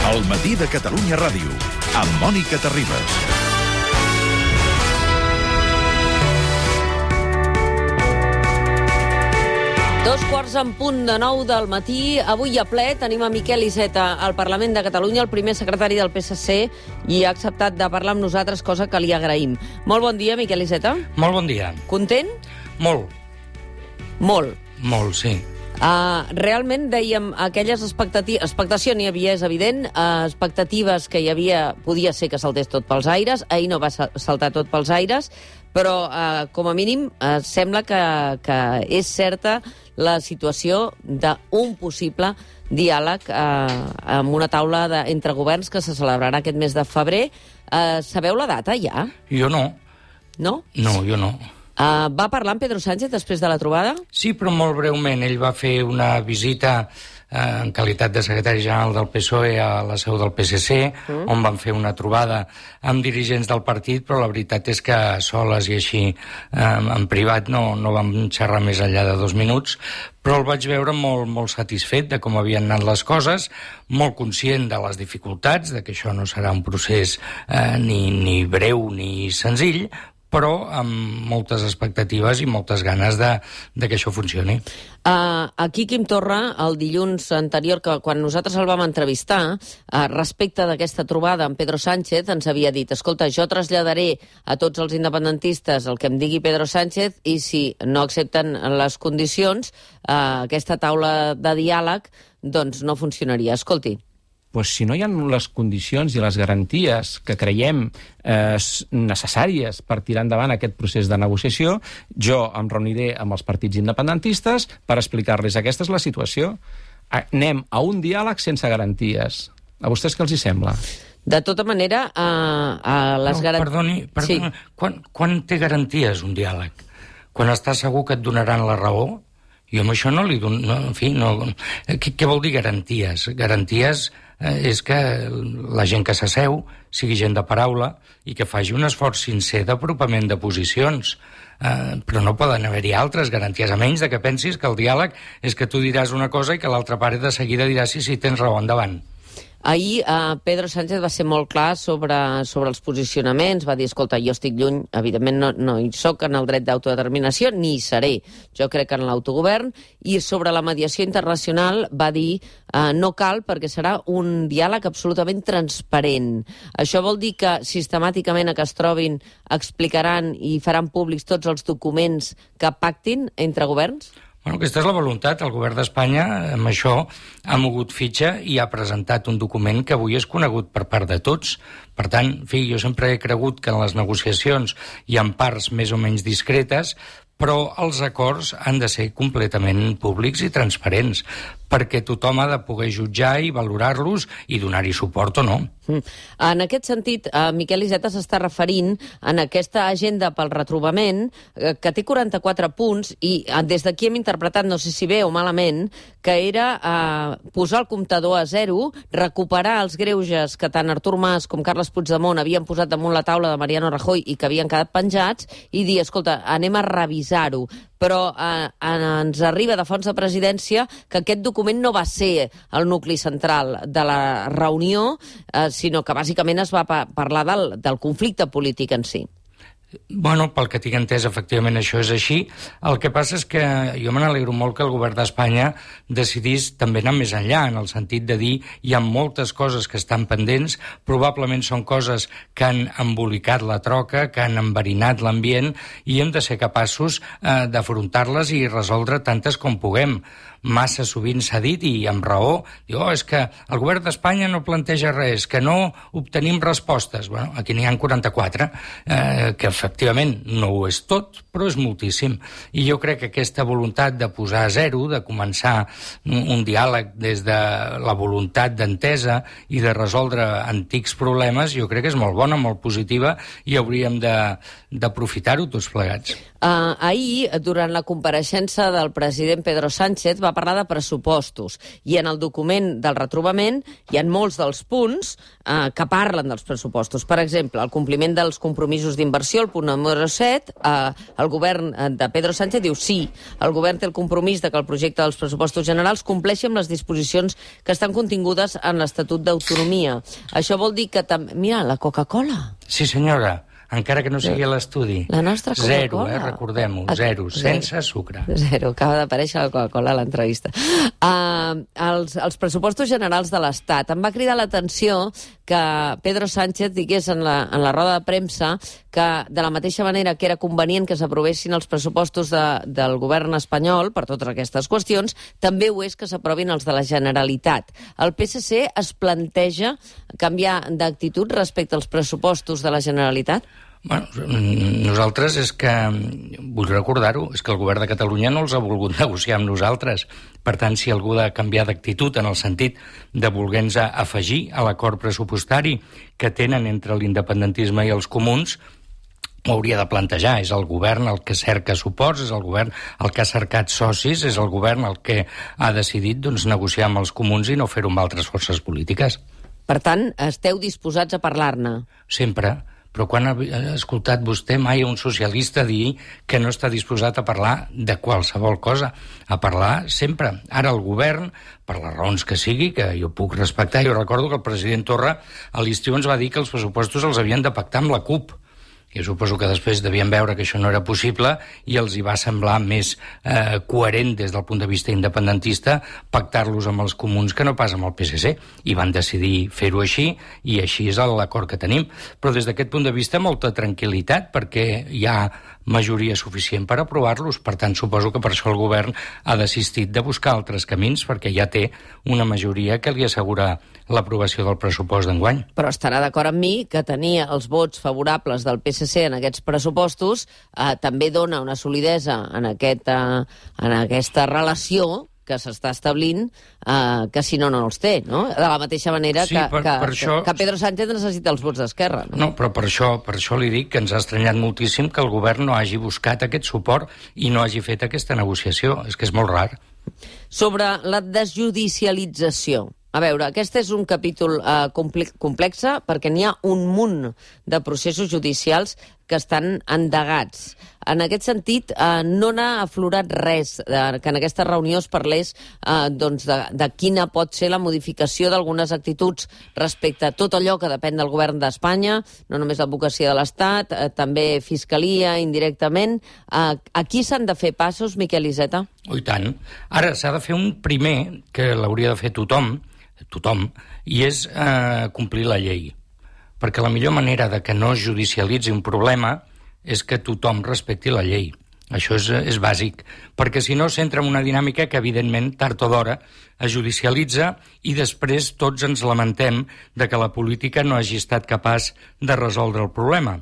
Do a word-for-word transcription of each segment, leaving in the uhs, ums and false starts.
El matí de Catalunya Ràdio, amb Mònica Terribas. Dos quarts en punt de nou del matí. Avui a ple tenim a Miquel Iceta al Parlament de Catalunya, el primer secretari del P S C, i ha acceptat de parlar amb nosaltres, cosa que li agraïm. Molt bon dia, Miquel Iceta. Molt bon dia. Content? Molt. Molt. Molt, sí. Uh, realment, dèiem, aquelles expectatives... Expectació n'hi havia, és evident. Uh, expectatives que hi havia... Podia ser que saltés tot pels aires. Ahir no va saltar tot pels aires. Però, uh, com a mínim, uh, sembla que, que és certa la situació d'un possible diàleg uh, amb una taula de, entre governs que se celebrarà aquest mes de febrer. Uh, sabeu la data, ja? Jo no. No? No, jo no. Uh, va parlar amb Pedro Sánchez després de la trobada? Sí, però molt breument. Ell va fer una visita eh, en qualitat de secretari general del P S O E a la seu del P S C, mm. on van fer una trobada amb dirigents del partit, però la veritat és que a soles i així eh, en privat no, no vam xerrar més enllà de dos minuts, però el vaig veure molt, molt satisfet de com havien anat les coses, molt conscient de les dificultats, de que això no serà un procés eh, ni, ni breu ni senzill, però amb moltes expectatives i moltes ganes de, de que això funcioni. Uh, aquí Quim Torra, el dilluns anterior, que quan nosaltres el vam entrevistar, uh, respecte d'aquesta trobada amb Pedro Sánchez, ens havia dit, escolta, jo traslladaré a tots els independentistes el que em digui Pedro Sánchez i si no accepten les condicions, uh, aquesta taula de diàleg, doncs no funcionaria. Escolti. Pues si no hi ha les condicions i les garanties que creiem eh, necessàries per tirar endavant aquest procés de negociació, jo em reuniré amb els partits independentistes per explicar-los aquesta és la situació. Anem a un diàleg sense garanties. A vostès què els hi sembla? De tota manera, a, a les no, garanties... Perdoni, perdoni. Sí. Quan, quan té garanties un diàleg? Quan està segur que et donaran la raó? Jo amb això no li dono... No, en fi, no... Què, què vol dir garanties? Garanties eh, és que la gent que s'asseu sigui gent de paraula i que faci un esforç sincer d'apropament de posicions. Eh, però no poden haver-hi altres garanties, a menys de que pensis que el diàleg és que tu diràs una cosa i que l'altra part de seguida dirà sí, sí, tens raó, endavant. Ahir eh, Pedro Sánchez va ser molt clar sobre, sobre els posicionaments, va dir, escolta, jo estic lluny, evidentment no, no hi soc en el dret d'autodeterminació, ni hi seré, jo crec en l'autogovern, i sobre la mediació internacional va dir, eh, no cal perquè serà un diàleg absolutament transparent. Això vol dir que sistemàticament a que es trobin explicaran i faran públics tots els documents que pactin entre governs? Bueno, aquesta és la voluntat. El govern d'Espanya amb això ha mogut fitxa i ha presentat un document que avui és conegut per part de tots. Per tant, en fi, jo sempre he cregut que en les negociacions hi ha parts més o menys discretes, però els acords han de ser completament públics i transparents, perquè tothom ha de poder jutjar i valorar-los i donar-hi suport o no. Mm. En aquest sentit, eh, Miquel Iceta s'està referint en aquesta agenda pel retrobament, eh, que té quaranta-quatre punts, i eh, des d'aquí hem interpretat, no sé si bé o malament, que era eh, posar el comptador a zero, recuperar els greuges que tant Artur Mas com Carles Puigdemont havien posat damunt la taula de Mariano Rajoy i que havien quedat penjats, i dir, escolta, anem a revisar-ho. Però eh, ens arriba de fons de presidència que aquest document no va ser el nucli central de la reunió, eh, sinó que bàsicament es va pa- parlar del, del conflicte polític en si. Bueno, pel que tinc entès, efectivament això és així. El que passa és que jo me n'alegro molt que el govern d'Espanya decidís també anar més enllà, en el sentit de dir hi ha moltes coses que estan pendents, probablement són coses que han embolicat la troca, que han enverinat l'ambient, i hem de ser capaços eh, d'afrontar-les i resoldre tantes com puguem. Massa sovint s'ha dit, i amb raó, diu, oh, és que el govern d'Espanya no planteja res, que no obtenim respostes. Bueno, aquí n'hi ha quaranta-quatre, eh, que efectivament no ho és tot, però és moltíssim. I jo crec que aquesta voluntat de posar a zero, de començar un, un diàleg des de la voluntat d'entesa i de resoldre antics problemes, jo crec que és molt bona, molt positiva, i hauríem d'aprofitar-ho tots plegats. Uh, ahir, durant la compareixença del president Pedro Sánchez, va va parlar de pressupostos, i en el document del retrobament hi ha molts dels punts eh, que parlen dels pressupostos. Per exemple, el compliment dels compromisos d'inversió, el punt número set, eh, el govern de Pedro Sánchez diu sí, el govern té el compromís de que el projecte dels pressupostos generals compleixi amb les disposicions que estan contingudes en l'Estatut d'Autonomia. Això vol dir que també... Mira, la Coca-Cola. Sí, senyora. Encara que no sigui a l'estudi. La nostra Coca-Cola. Zero, eh? Recordem-ho. Zero, sense sucre. Zero. Acaba d'aparèixer la Coca-Cola a l'entrevista. Uh, els, els pressupostos generals de l'Estat. Em va cridar l'atenció que Pedro Sánchez digués en la, en la roda de premsa que de la mateixa manera que era convenient que s'aprovessin els pressupostos de, del govern espanyol per totes aquestes qüestions, també ho és que s'aprovin els de la Generalitat. El P S C es planteja canviar d'actitud respecte als pressupostos de la Generalitat? Bueno, nosaltres és que, vull recordar-ho, és que el govern de Catalunya no els ha volgut negociar amb nosaltres. Per tant, si algú ha de canviar d'actitud en el sentit de voler-nos afegir a l'acord pressupostari que tenen entre l'independentisme i els comuns, ho hauria de plantejar. És el govern el que cerca suports, és el govern el que ha cercat socis, és el govern el que ha decidit doncs, negociar amb els comuns i no fer-ho amb altres forces polítiques. Per tant, esteu disposats a parlar-ne? Sempre. Però quan ha escoltat vostè mai un socialista dir que no està disposat a parlar de qualsevol cosa, a parlar sempre. Ara el govern, per les raons que sigui, que jo puc respectar, jo recordo que el president Torra a l'estiu ens va dir que els pressupostos els havien de pactar amb la CUP. Jo suposo que després devien veure que això no era possible i els hi va semblar més eh, coherent des del punt de vista independentista pactar-los amb els comuns que no pas amb el P S C. I van decidir fer-ho així i així és l'acord que tenim. Però des d'aquest punt de vista molta tranquil·litat perquè hi ha majoria suficient per aprovar-los. Per tant, suposo que per això el govern ha desistit de buscar altres camins perquè ja té una majoria que li assegura l'aprovació del pressupost d'enguany. Però estarà d'acord amb mi que tenir els vots favorables del P S C en aquests pressupostos eh, també dona una solidesa en, aquest, eh, en aquesta relació que s'està establint, eh, que si no, no els té, no? De la mateixa manera sí, que, per, que, per això... que Pedro Sánchez necessita els vots d'Esquerra. No? no, però per això, per això li dic que ens ha estranyat moltíssim que el govern no hagi buscat aquest suport i no hagi fet aquesta negociació. És que és molt rar. Sobre la desjudicialització. A veure, aquest és un capítol eh, complex perquè n'hi ha un munt de processos judicials que estan endegats. En aquest sentit, eh, no n'ha aflorat res, eh, que en aquesta reunió es parlés eh, doncs de, de quina pot ser la modificació d'algunes actituds respecte a tot allò que depèn del govern d'Espanya, no només l'advocacia de l'Estat, eh, també Fiscalia, indirectament. Eh, aquí s'han de fer passos, Miquel Iceta? Oh, i tant. Ara s'ha de fer un primer, que l'hauria de fer tothom, tothom, i és eh, complir la llei. Perquè la millor manera de que no es judicialitzi un problema és que tothom respecti la llei. Això és, és bàsic, perquè si no s'entra en una dinàmica que, evidentment, tard o d'hora es judicialitza i després tots ens lamentem de que la política no hagi estat capaç de resoldre el problema.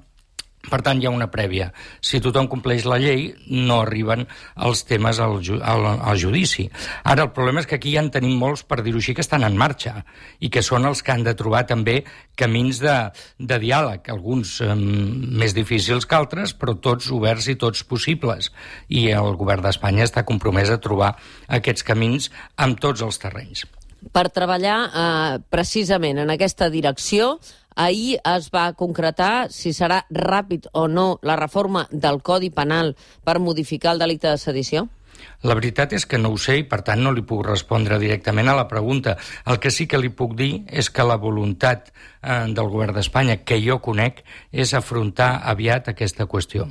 Per tant, hi ha una prèvia. Si tothom compleix la llei, no arriben els temes al, ju al, al judici. Ara, el problema és que aquí ja en tenim molts, per dir-ho així, que estan en marxa i que són els que han de trobar també camins de, de diàleg, alguns eh, més difícils que altres, però tots oberts i tots possibles. I el govern d'Espanya està compromès a trobar aquests camins amb tots els terrenys. Per treballar eh, precisament en aquesta direcció, ahir es va concretar si serà ràpid o no la reforma del Codi Penal per modificar el delicte de sedició? La veritat és que no ho sé i, per tant, no li puc respondre directament a la pregunta. El que sí que li puc dir és que la voluntat eh, del govern d'Espanya, que jo conec, és afrontar aviat aquesta qüestió.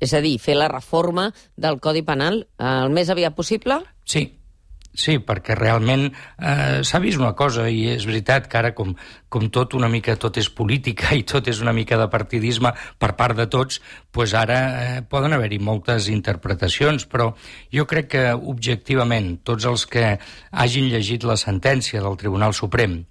És a dir, fer la reforma del Codi Penal eh, el més aviat possible? Sí. Sí, perquè realment eh, s'ha vist una cosa, i és veritat que ara, com, com tot una mica tot és política i tot és una mica de partidisme per part de tots, doncs ara eh, poden haver-hi moltes interpretacions, però jo crec que objectivament tots els que hagin llegit la sentència del Tribunal Suprem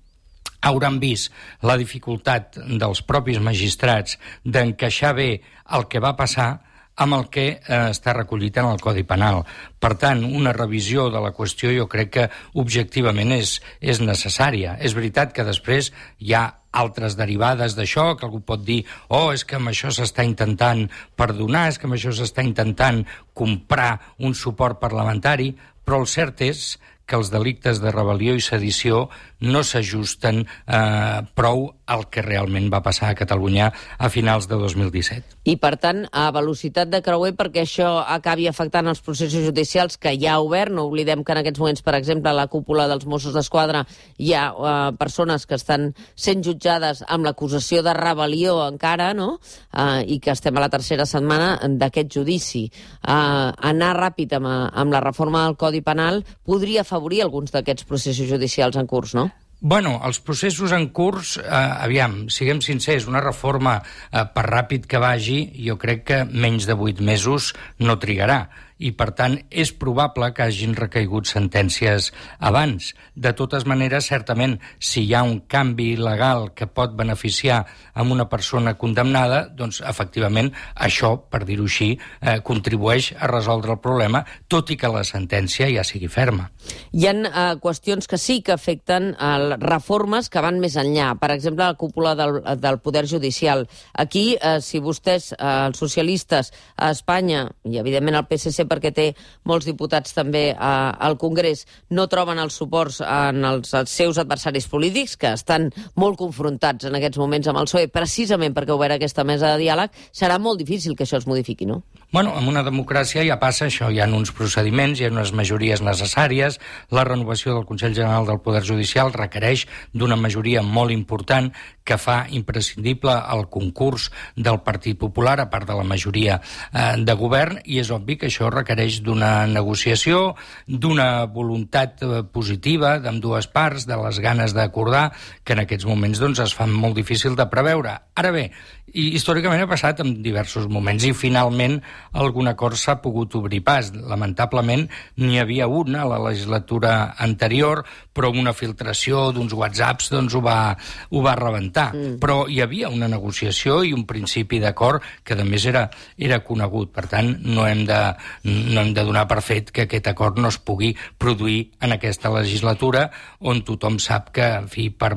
hauran vist la dificultat dels propis magistrats d'encaixar bé el que va passar amb el que eh, està recollit en el Codi Penal. Per tant, una revisió de la qüestió jo crec que objectivament és, és necessària. És veritat que després hi ha altres derivades d'això, que algú pot dir oh, és que amb això s'està intentant perdonar, és que amb això s'està intentant comprar un suport parlamentari, però el cert és que els delictes de rebel·lió i sedició no s'ajusten eh, prou al que realment va passar a Catalunya a finals de dos mil disset. I, per tant, a velocitat de creuer, perquè això acabi afectant els processos judicials que ja ha obert. No oblidem que en aquests moments, per exemple, a la cúpula dels Mossos d'Esquadra hi ha eh, persones que estan sent jutjades amb l'acusació de rebel·lió encara, no? Eh, i que estem a la tercera setmana d'aquest judici. Eh, anar ràpid amb, amb la reforma del Codi Penal podria afavorir alguns d'aquests processos judicials en curs, no? Bueno, els processos en curs, eh, aviam, siguem sincers, una reforma, eh, per ràpid que vagi, jo crec que menys de vuit mesos no trigarà. I, per tant, és probable que hagin recaigut sentències abans. De totes maneres, certament, si hi ha un canvi legal que pot beneficiar amb una persona condemnada, doncs, efectivament, això, per dir-ho així, eh, contribueix a resoldre el problema, tot i que la sentència ja sigui ferma. Hi ha eh, qüestions que sí que afecten eh, reformes que van més enllà. Per exemple, la cúpula del, del Poder Judicial. Aquí, eh, si vostès, eh, els socialistes a Espanya, i evidentment el P S C perquè té molts diputats també eh, al Congrés, no troben els suports en els, els seus adversaris polítics, que estan molt confrontats en aquests moments amb el P S O E, precisament perquè ha obert aquesta mesa de diàleg, serà molt difícil que això es modifiqui, no? Bueno, en una democràcia ja passa això, hi ha uns procediments, hi ha unes majories necessàries, la renovació del Consell General del Poder Judicial requereix d'una majoria molt important que fa imprescindible el concurs del Partit Popular, a part de la majoria eh, de govern, i és obvi que això requereix d'una negociació, d'una voluntat eh, positiva d'ambdues parts, de les ganes d'acordar, que en aquests moments doncs, es fan molt difícil de preveure. Ara bé, i històricament ha passat en diversos moments i finalment algun acord s'ha pogut obrir pas. Lamentablement n'hi havia una a la legislatura anterior, però una filtració d'uns whatsapps doncs, ho, va, ho va rebentar. Mm. Però hi havia una negociació i un principi d'acord que a més era, era conegut. Per tant, no hem, de, no hem de donar per fet que aquest acord no es pugui produir en aquesta legislatura, on tothom sap que, en fi, per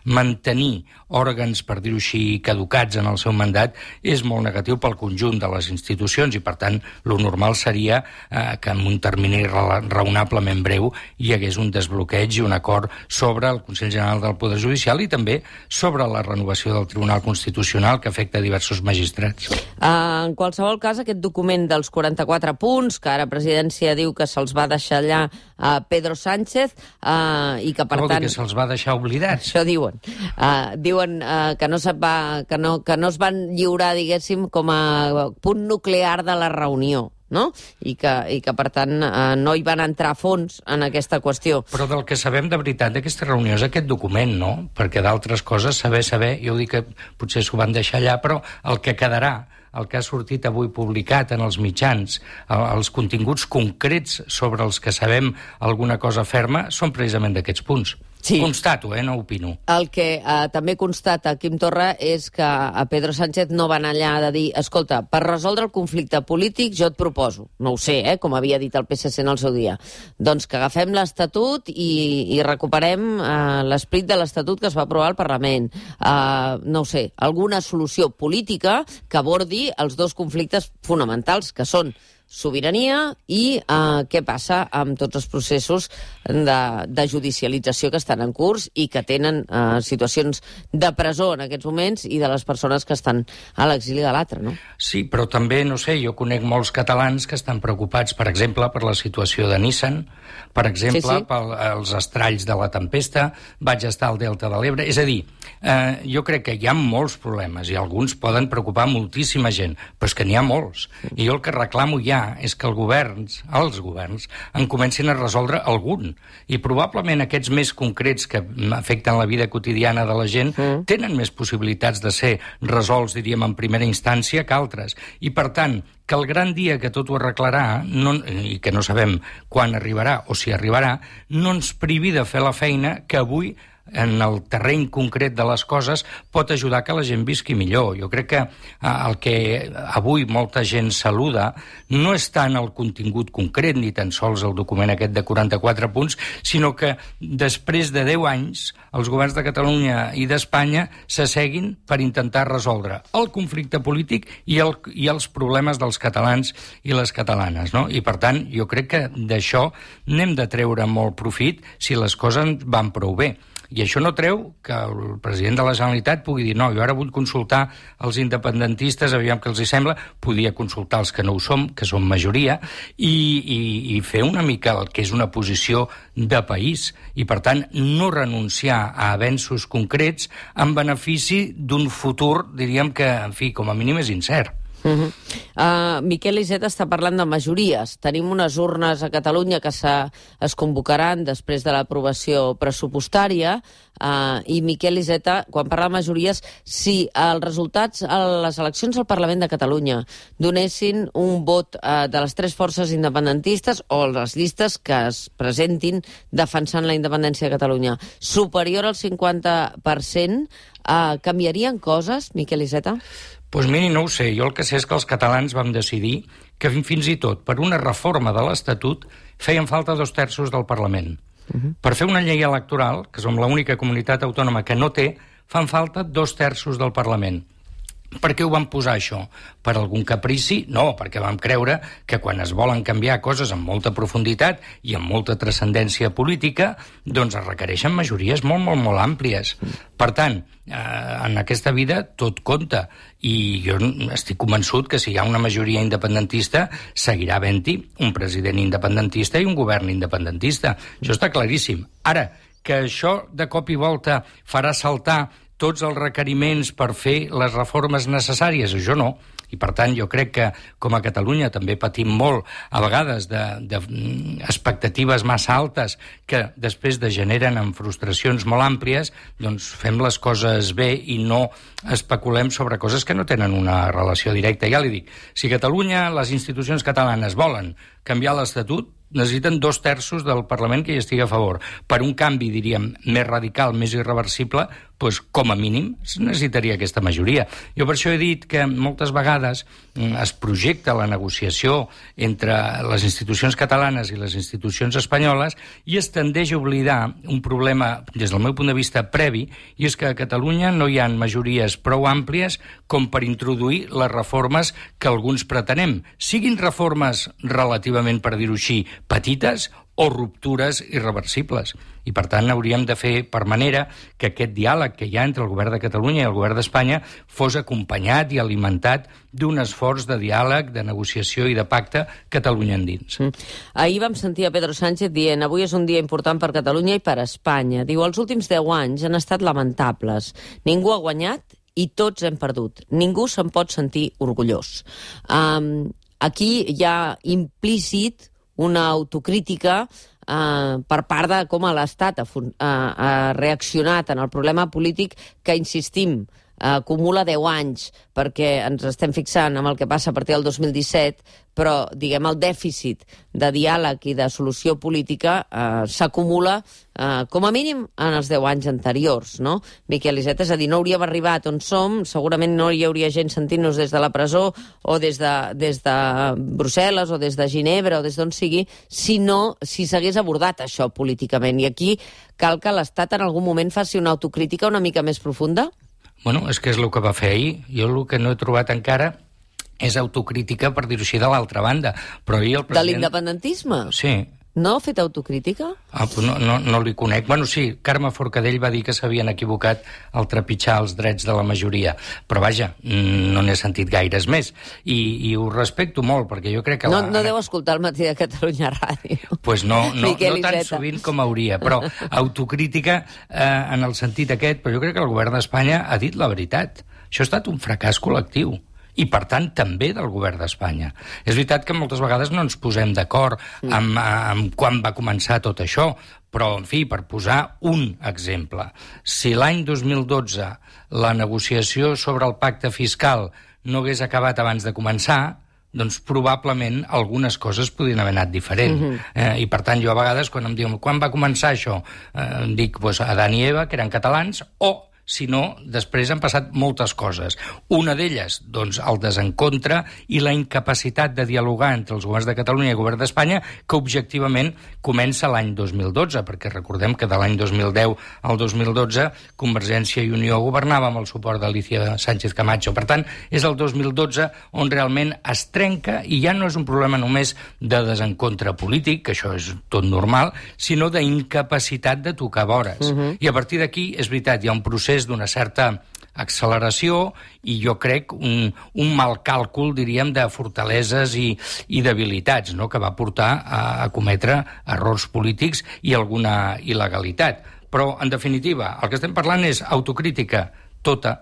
mantenir òrgans, per dir-ho així, caducats en el seu mandat, és molt negatiu pel conjunt de les institucions i, per tant, lo normal seria eh, que en un termini raonablement breu hi hagués un desbloqueig i un acord sobre el Consell General del Poder Judicial i també sobre la renovació del Tribunal Constitucional que afecta diversos magistrats. Uh, en qualsevol cas, aquest document dels quaranta-quatre punts, que ara Presidència diu que se'ls va deixar allà a Pedro Sánchez uh, i que, per Vol tant... dir que se'ls va deixar oblidats? Això diuen. Uh, diuen uh, que, no se va, que, no, que no es van lliurar, diguéssim, com a punt nuclear de la reunió, no? I que, i que per tant, eh, no hi van entrar a fons en aquesta qüestió. Però del que sabem de veritat d'aquesta reunió és aquest document, no? Perquè d'altres coses, saber, saber, jo dic que potser s'ho van deixar allà, però el que quedarà, el que ha sortit avui publicat en els mitjans, els continguts concrets sobre els que sabem alguna cosa ferma, són precisament d'aquests punts. Sí. Constato, eh? No opino. El que eh, també constata Quim Torra és que a Pedro Sánchez no van allà de dir, escolta, per resoldre el conflicte polític jo et proposo, no ho sé, eh, com havia dit el P S C en el seu dia, doncs que agafem l'Estatut i, i recuperem eh, l'esperit de l'Estatut que es va aprovar al Parlament. Eh, no ho sé, alguna solució política que abordi els dos conflictes fonamentals, que són sobirania i eh, què passa amb tots els processos de, de judicialització que estan en curs i que tenen eh, situacions de presó en aquests moments i de les persones que estan a l'exili de l'altre, no? Sí, però també, no sé, jo conec molts catalans que estan preocupats, per exemple, per la situació de Nissan, per exemple, sí, sí. pels estralls de la tempesta, vaig estar al Delta de l'Ebre, és a dir, eh, jo crec que hi ha molts problemes i alguns poden preocupar moltíssima gent, però és que n'hi ha molts. I jo el que reclamo ja és que els governs, els governs, en comencin a resoldre algun. I probablement aquests més concrets que afecten la vida quotidiana de la gent mm. tenen més possibilitats de ser resolts, diríem, en primera instància que altres. I, per tant, que el gran dia que tot ho arreglarà, no, i que no sabem quan arribarà o si arribarà, no ens privi de fer la feina que avui en el terreny concret de les coses pot ajudar que la gent visqui millor. Jo crec que el que avui molta gent saluda no és tant el contingut concret, ni tan sols el document aquest de quaranta-quatre punts, sinó que després de deu anys els governs de Catalunya i d'Espanya s'asseguin per intentar resoldre el conflicte polític i, el, i els problemes dels catalans i les catalanes, no? I per tant, jo crec que d'això n'hem de treure molt profit si les coses van prou bé. I això no treu que el president de la Generalitat pugui dir no, jo ara vull consultar els independentistes, aviam què els hi sembla, podia consultar els que no ho som, que som majoria, i, i, i fer una mica el que és una posició de país. I, per tant, no renunciar a avenços concrets en benefici d'un futur, diríem que, en fi, com a mínim és incert. Uh-huh. uh, Miquel Iceta està parlant de majories. Tenim unes urnes a Catalunya que es convocaran després de l'aprovació pressupostària uh, i Miquel Iceta, quan parla de majories, si els resultats a les eleccions al Parlament de Catalunya donessin un vot uh, de les tres forces independentistes o les llistes que es presentin defensant la independència de Catalunya superior al cinquanta per cent, uh, canviarien coses, Miquel Iceta? Doncs pues miri, no ho sé. Jo el que sé és que els catalans vam decidir que fins i tot per una reforma de l'Estatut feien falta dos terços del Parlament. Uh-huh. Per fer una llei electoral, que som l'única comunitat autònoma que no té, fan falta dos terços del Parlament. Per què ho vam posar, això? Per algun caprici? No, perquè vam creure que quan es volen canviar coses amb molta profunditat i amb molta transcendència política, doncs es requereixen majories molt, molt, molt àmplies. Per tant, eh, en aquesta vida tot compta. I jo estic convençut que si hi ha una majoria independentista, seguirà havent-hi un president independentista i un govern independentista. Això està claríssim. Ara, que això de cop i volta farà saltar tots els requeriments per fer les reformes necessàries, això no. I, per tant, jo crec que, com a Catalunya, també patim molt, a vegades, d'expectatives massa altes que després degeneren en frustracions molt àmplies, doncs fem les coses bé i no especulem sobre coses que no tenen una relació directa. Ja li dic, si Catalunya, les institucions catalanes volen canviar l'Estatut, necessiten dos terços del Parlament que hi estigui a favor. Per un canvi, diríem, més radical, més irreversible, doncs, com a mínim, es necessitaria aquesta majoria. Jo per això he dit que moltes vegades es projecta la negociació entre les institucions catalanes i les institucions espanyoles i es tendeix a oblidar un problema, des del meu punt de vista, previ, i és que a Catalunya no hi ha majories prou àmplies com per introduir les reformes que alguns pretenem. Siguin reformes relativament, per dir-ho així, petites o ruptures irreversibles. I, per tant, hauríem de fer per manera que aquest diàleg que hi ha entre el govern de Catalunya i el govern d'Espanya fos acompanyat i alimentat d'un esforç de diàleg, de negociació i de pacte Catalunya endins. Mm. Ahir vam sentir a Pedro Sánchez dient avui és un dia important per Catalunya i per Espanya. Diu, els últims deu anys han estat lamentables. Ningú ha guanyat i tots hem perdut. Ningú se'n pot sentir orgullós. Um, aquí hi ha implícit una autocrítica eh, per part de com l'Estat ha, ha, ha reaccionat en el problema polític que, insistim, acumula deu anys, perquè ens estem fixant amb el que passa a partir del dos mil disset, però, diguem, el dèficit de diàleg i de solució política eh, s'acumula eh, com a mínim en els deu anys anteriors, no? Miquel Iceta, és a dir, no hauríem arribat on som, segurament no hi hauria gent sentint-nos des de la presó o des de, des de Brussel·les o des de Ginebra o des d'on sigui, si no, si s'hagués abordat això políticament. I aquí cal que l'Estat en algun moment faci una autocrítica una mica més profunda? Bueno, és que és el que va fer ahir. Jo el que no he trobat encara és autocrítica, per dir-ho així, de l'altra banda. Però ahir el president... De l'independentisme? Sí. No ha fet autocrítica? Ah, no, no, no li conec. Bueno, sí, Carme Forcadell va dir que s'havien equivocat al trepitjar els drets de la majoria. Però vaja, no n'he sentit gaires més. I, i ho respecto molt, perquè jo crec que... No, la... no deu escoltar el Matí de Catalunya Ràdio. Doncs pues no, no, no tan sovint com hauria. Però autocrítica eh, en el sentit aquest, però jo crec que el govern d'Espanya ha dit la veritat. Això ha estat un fracàs col·lectiu. I, per tant, també del govern d'Espanya. És veritat que moltes vegades no ens posem d'acord amb, amb quan va començar tot això, però, en fi, per posar un exemple, si l'any dos mil dotze la negociació sobre el pacte fiscal no hagués acabat abans de començar, doncs probablement algunes coses podrien haver anat diferent. Uh-huh. eh, I per tant, jo a vegades, quan em diuen quan va començar això, eh, em dic pues, Adán i Eva, que eren catalans, o si no, després han passat moltes coses. Una d'elles, doncs, el desencontre i la incapacitat de dialogar entre els governs de Catalunya i el govern d'Espanya, que objectivament comença l'any dos mil dotze, perquè recordem que de l'any dos mil deu al dos mil dotze Convergència i Unió governava amb el suport d'Alicia Sánchez Camacho. Per tant, és el dos mil dotze on realment es trenca, i ja no és un problema només de desencontre polític, que això és tot normal, sinó d'incapacitat de tocar vores. Uh-huh. I a partir d'aquí, és veritat, hi ha un procés d'una certa acceleració i jo crec un, un mal càlcul, diríem, de fortaleses i, i debilitats, no?, que va portar a, a cometre errors polítics i alguna il·legalitat. Però, en definitiva, el que estem parlant és autocrítica tota.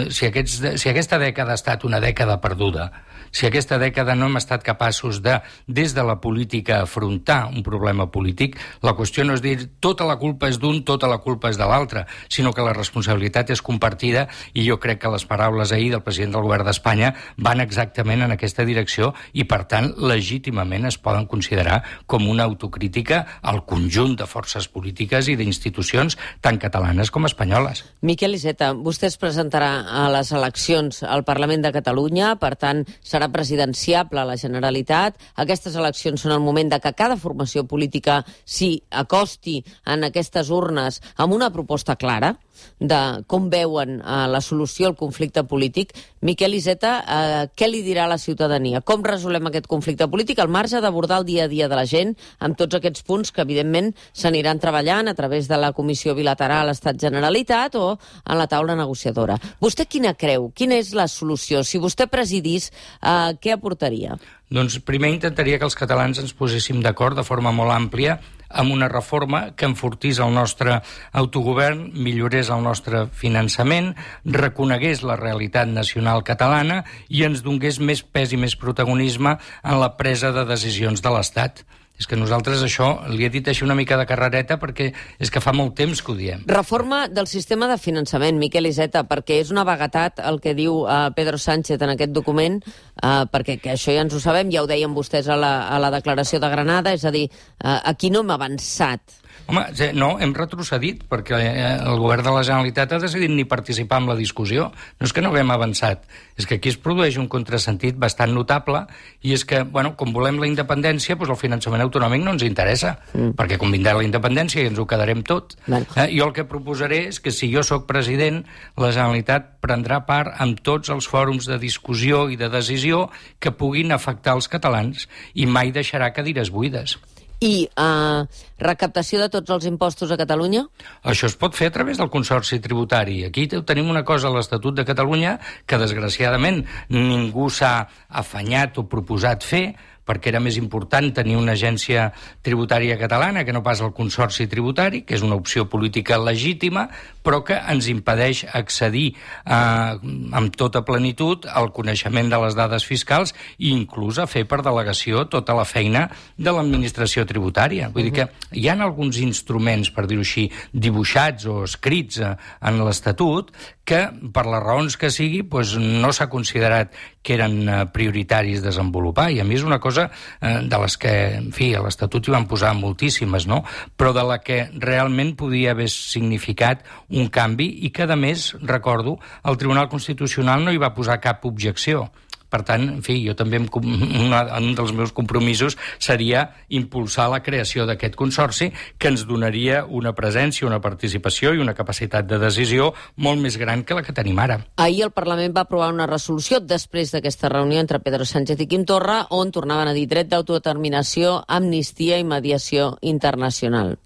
Si, aquests, si aquesta dècada ha estat una dècada perduda, si aquesta dècada no hem estat capaços de, des de la política, afrontar un problema polític, la qüestió no és dir tota la culpa és d'un, tota la culpa és de l'altre, sinó que la responsabilitat és compartida, i jo crec que les paraules ahir del president del govern d'Espanya van exactament en aquesta direcció i, per tant, legítimament es poden considerar com una autocrítica al conjunt de forces polítiques i d'institucions tan catalanes com espanyoles. Miquel Iceta, vostè es presentarà a les eleccions al Parlament de Catalunya, per tant, serà presidenciable a la Generalitat. Aquestes eleccions són el moment de que cada formació política s'hi acosti en aquestes urnes amb una proposta clara de com veuen eh, la solució al conflicte polític. Miquel Iceta, eh, què li dirà a la ciutadania? Com resolem aquest conflicte polític al marge d'abordar el dia a dia de la gent amb tots aquests punts que, evidentment, s'aniran treballant a través de la Comissió Bilateral Estat-Generalitat o en la taula negociadora? Vostè quina creu? Quina és la solució? Si vostè presidís, eh, què aportaria? Doncs primer intentaria que els catalans ens poséssim d'acord de forma molt àmplia amb una reforma que enfortís el nostre autogovern, millorés el nostre finançament, reconegués la realitat nacional catalana i ens donés més pes i més protagonisme en la presa de decisions de l'Estat. És que nosaltres això li he dit així una mica de carrereta perquè és que fa molt temps que ho diem. Reforma del sistema de finançament, Miquel Iceta, perquè és una vaguetat el que diu uh, Pedro Sánchez en aquest document, uh, perquè que això ja ens ho sabem, ja ho deien vostès a la, a la declaració de Granada, és a dir, uh, aquí no hem avançat. Home, no, hem retrocedit, perquè el govern de la Generalitat ha decidit ni participar en la discussió. No és que no haguem avançat, és que aquí es produeix un contrasentit bastant notable, i és que, bueno, com volem la independència, doncs el finançament autonòmic no ens interessa, mm. perquè com vindrà la independència i ens ho quedarem tot. Bueno. Eh, jo el que proposaré és que si jo sóc president, la Generalitat prendrà part en tots els fòrums de discussió i de decisió que puguin afectar els catalans i mai deixarà cadires buides. I uh, recaptació de tots els impostos a Catalunya? Això es pot fer a través del Consorci Tributari. Aquí tenim una cosa a l'Estatut de Catalunya que, desgraciadament, ningú s'ha afanyat o proposat fer, perquè era més important tenir una agència tributària catalana que no pas el Consorci Tributari, que és una opció política legítima, però que ens impedeix accedir eh, amb tota plenitud al coneixement de les dades fiscals i inclús a fer per delegació tota la feina de l'administració tributària. Vull uh-huh. dir que hi ha alguns instruments, per dir-ho així, dibuixats o escrits en l'Estatut que, per les raons que sigui, doncs no s'ha considerat que eren prioritaris desenvolupar, i a mi és una cosa eh, de les que, en fi, a l'Estatut hi van posar moltíssimes, no?, però de la que realment podia haver significat un canvi i que, a més, recordo, el Tribunal Constitucional no hi va posar cap objecció. Per tant, en fi, jo també, una, un dels meus compromisos seria impulsar la creació d'aquest consorci que ens donaria una presència, una participació i una capacitat de decisió molt més gran que la que tenim ara. Ahir el Parlament va aprovar una resolució després d'aquesta reunió entre Pedro Sánchez i Quim Torra on tornaven a dir dret d'autodeterminació, amnistia i mediació internacional.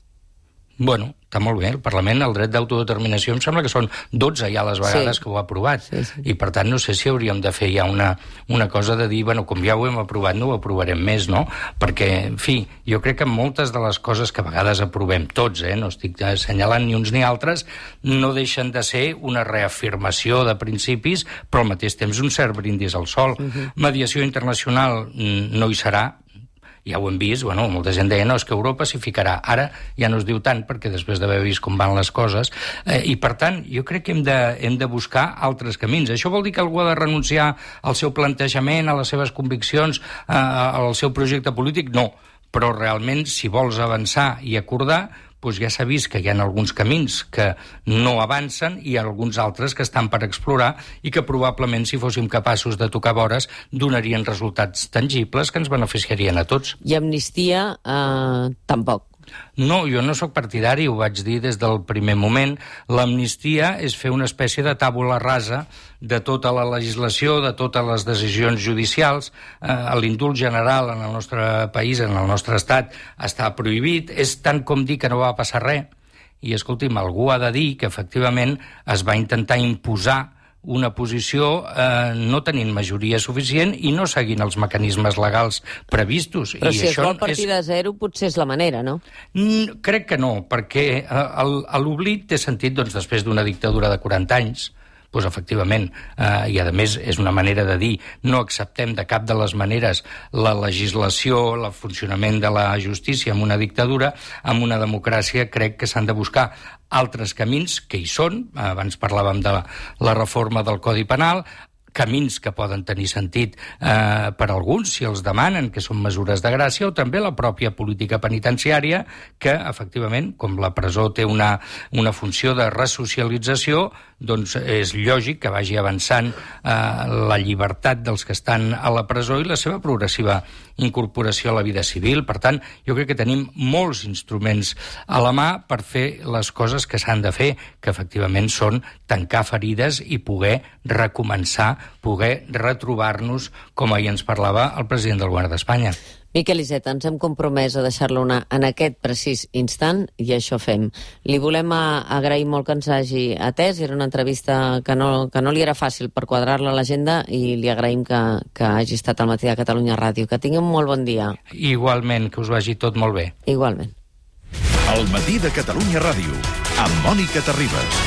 Bueno, està molt bé, el Parlament, el dret d'autodeterminació, em sembla que són dotze ja les vegades sí. que ho ha aprovat, sí, sí. i per tant no sé si hauríem de fer ja una, una cosa de dir, bueno, com ja ho hem aprovat, no ho aprovarem més, no? Perquè, en fi, jo crec que moltes de les coses que a vegades aprovem tots, eh, no estic assenyalant ni uns ni altres, no deixen de ser una reafirmació de principis, però al mateix temps un cert brindis al sol. Uh-huh. Mediació internacional no hi serà, ja ho hem vist, bueno, molta gent deia, no, és que Europa s'hi ficarà. Ara ja no es diu tant, perquè després d'haver vist com van les coses, eh, i per tant, jo crec que hem de, hem de buscar altres camins. Això vol dir que algú ha de renunciar al seu plantejament, a les seves conviccions, eh, al seu projecte polític? No, però realment, si vols avançar i acordar, doncs ja s'ha vist que hi ha alguns camins que no avancen i alguns altres que estan per explorar i que probablement, si fóssim capaços de tocar vores, donarien resultats tangibles que ens beneficiarien a tots. I amnistia, eh, tampoc. No, jo no sóc partidari, ho vaig dir des del primer moment. L'amnistia és fer una espècie de tàbula rasa de tota la legislació, de totes les decisions judicials. Eh, l'indult general en el nostre país, en el nostre estat, està prohibit. És tant com dir que no va passar res. I, escolti'm, algú ha de dir que, efectivament, es va intentar imposar una posició eh, no tenint majoria suficient i no seguint els mecanismes legals previstos. Però I si això es vol partir és... de zero, potser és la manera, no? Mm, crec que no, perquè eh, l'oblit té sentit doncs, després d'una dictadura de quaranta anys, doncs efectivament, eh, i a més és una manera de dir, no acceptem de cap de les maneres la legislació, el funcionament de la justícia en una dictadura. En una democràcia crec que s'han de buscar altres camins, que hi són, abans parlàvem de la, la reforma del Codi Penal, camins que poden tenir sentit eh, per alguns, si els demanen, que són mesures de gràcia, o també la pròpia política penitenciària, que, efectivament, com la presó té una, una funció de resocialització, doncs és lògic que vagi avançant eh, la llibertat dels que estan a la presó i la seva progressiva incorporació a la vida civil. Per tant, jo crec que tenim molts instruments a la mà per fer les coses que s'han de fer, que efectivament són tancar ferides i poder recomençar, poder retrobar-nos, com ahir ens parlava el president del Govern d'Espanya. Miquel Iceta, ens hem compromès a deixar-lo anar en aquest precís instant i això fem. Li volem agrair molt que ens hagi atès. Era una entrevista que no, que no li era fàcil per quadrar-la a l'agenda i li agraïm que, que hagi estat al matí de Catalunya Ràdio. Que tingui un molt bon dia. Igualment, que us vagi tot molt bé. Igualment. El matí de Catalunya Ràdio, amb Mònica Terribas.